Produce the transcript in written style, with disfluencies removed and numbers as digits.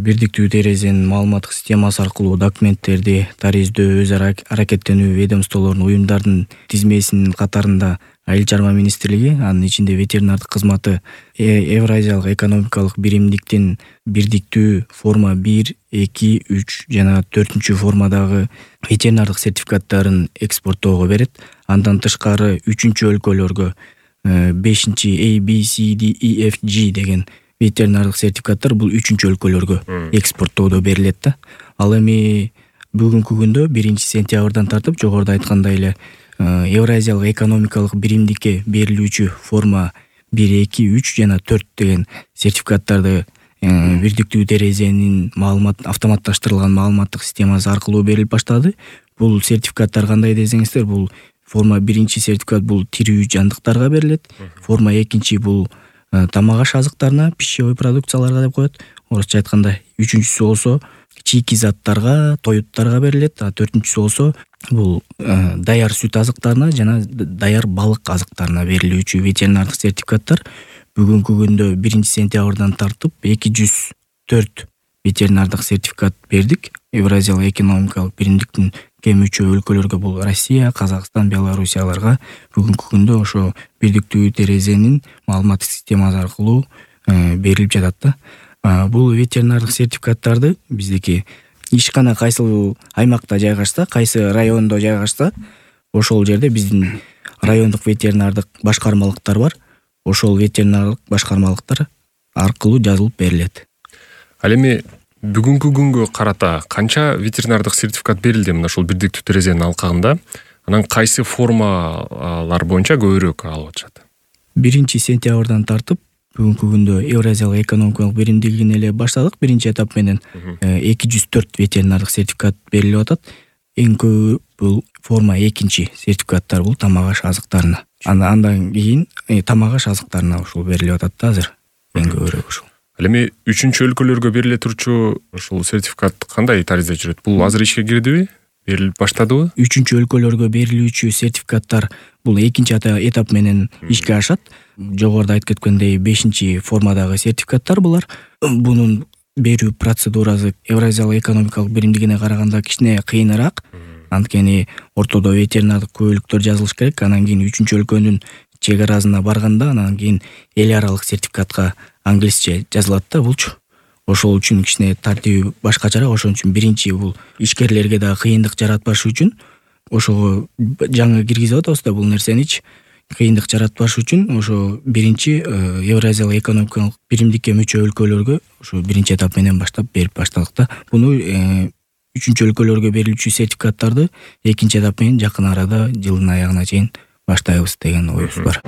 бирдиктүү терезенин маалыматтык системасы аркылуу документтерди тарыйздөө, өз ара аракеттенүү ведомстволордун, уюмдардын тизмесинин катарында Айыл чарба министрлиги, анын ичинде ветеринардык кызматы, Евразиялык экономикалык биримдиктин бирдиктүү форма 1, 2, 3 жана 4 формадагы ветеринардык сертификаттарын экспорттоого берет. Андан тышкары 3-өлкөлөргө 5 A, B, C, D, E, F, G деген ветеринардык сертификаттар бул 3-өлкөлөргө экспорттоодо берилет да. Ал эми бүгүнкү күндө 1-сентябрдан тартып жогоруда айткандай эле Евразиялык экономикалык биримдикке берилүүчү форма 1, 2, 3 жана 4 деген сертификаттарды бирдиктүү терезенин автоматташтырылган маалыматтык системасы аркылуу берилип баштады. Бул сертификаттар кандай десеңиздер, бул форма 1 сертификат бул тирүү жандыктарга берилет. Форма 2 бул тамак-аш азыктарына, пищевой продукцияларга деп коет. Орусча айтканда 3-сү болсо чийки заттарга, тоюттарга берилет. А 4-сү болсо бул даяр сүт азыктарына жана даяр балык азыктарына берилүүчү ветеринардык сертификаттар бүгүнкү күндө 1-сентябрдан тартып 204 ветеринардык сертификат бердик. Евразиялык экономикалык биримдиктин кем мүчө өлкөлөргө, бул Россия, Казакстан, Белоруссияларга бүгүнкү күндө ошо бирдиктүү терезенин маалыматтык системасы аркылуу берилип жатат да. Бул ветеринардык сертификаттарды биздики ишкана кайсы аймакта жайгашса, кайсы райондо жайгашса, ошол жерде биздин райондук ветеринардык башкармалыктар бар. Ошол ветеринардык башкармалыктар аркылуу жазылып берилет. Ал эми бүгүнкү күнгө карата канча ветеринардык сертификат берилди мына ушул бирдиктүү терезенин алкагында? Анан кайсы формалар боюнча көбүрөөк алып атышат? 1-сентябрдан тартып бүгүнкү күндө Евразиялык экономикалык биримдигинен эле баштадык. Биринчи этап менен 204 ветеринардык сертификат берилип атат. Эң көбү бул форма 2 сертификаттар, бул тамак-аш азыктарына. Андан кийин тамак-аш азыктарына ушул берилип атат да азыр. Эң көбүрөөк ушул. Ал эми 3-өлкөлөргө бериле турчу ушул сертификат кандай таризде жүрөт? Бул азыр ишке кирдиби? Берилип баштадыбы? 3-өлкөлөргө берилүүчү сертификаттар бул 2 этап менен ишке ашат. Жогоруда айтып кеткендей 5 формадагы сертификаттар булар. Бунун берүү процедурасы Евразиялык экономикалык биримдигине караганда кичине кыйыныраак. Анткени ортодо ветеринардык күбөлүктөр жазылыш керек. Анан кийин 3-өлкөнүн чек арасына барганда, анан кийин эл аралык сертификатка англисче жазылат да булчу. Ошол үчүн кичине тартиби башкачараак. Ошон үчүн биринчи бул ишкерлерге да кыйындык жаратпаш үчүн ошого жаңы киргизип атабыз да бул нерсеничи. Кыйындык жаратпаш үчүн ошо биринчи Евразиялык экономикалык биримдикке мүчө өлкөлөргө ошо биринчи этап менен баштап берип баштадык да. Буну 3-өлкөлөргө берилүүчү сертификаттарды 2 этап менен жакын арада жылдын аягына чейин баштайбыз деген оюбуз бар.